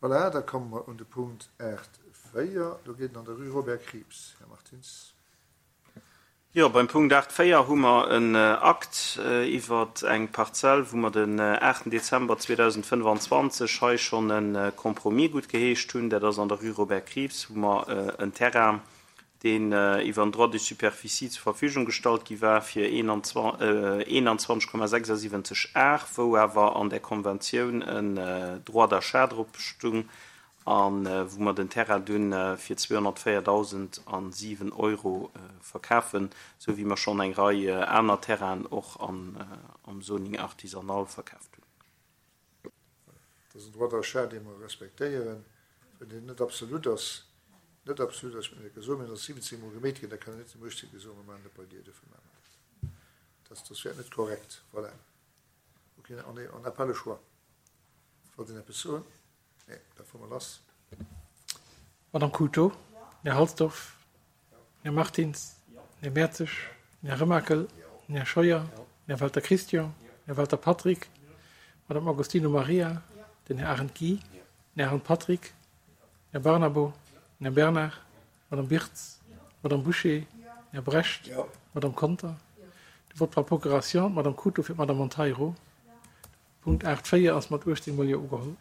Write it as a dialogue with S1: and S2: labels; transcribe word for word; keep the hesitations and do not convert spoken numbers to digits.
S1: Voilà, da komme mer un de Punkt aacht véier. Do geet et an der Rue Robert Krieps. Här Martins.
S2: Jo, beim Punkt aacht véier hu mer en Akt iwwer eng Parzell, wou mer den aachten Dezember zweedausendfënnefanzwanzeg hei schonn e Compromis guttgeheescht hunn. Dat ass an der Rue Robert Krieps, wou mer en Terrain, deen iwwer en Droit de superficie zur Verfügung gestallt gi war fir eenanzwanzeg Komma sechsasiwwenzeg Ar, wou awer an där Konventioun en Droit d'achat drop stung a wou mer den Terrain dunn fir zweehonnertvéierdausendsiwen Euro verkafen, sou wéi mer schonn eng Rei aner Terrainen och am Zoning artisanal verkaaft hunn.
S1: Dat ass en Droit d'achat, dee mer respektéieren, well deen net absolut ass. Net absolut ass, mir gesot, mir ass siwwenzéng Mol geméit ginn, da kann een net dem uechtzéngte soen, mir maachen dat bei dir, dofir maache mer dat. Dat, dat wär net korrekt. Voilà. Ok, on est, on n'a pas le choix. Wollt een eppes soen? Nee, da fuere mer lass.
S3: Madame Couto, Här Halsdorf, Här Martins, Här Mertzig, Här Remakel, Här Scheuer, Här Welter Christian, Här Welter Patrick, Madame Agostino Maria, den Här Arendt Guy, den Här Arendt Patrick, Här Barnabo, den Här Bernard, Madame Birtz, Madame Bouché, Här Brecht, Madame Conter. De Vote par procuration, d'Madame Couto fir d'Madame Monteiro. Punkt aacht véier ass mat uechtzéng Mol Jo ugeholl.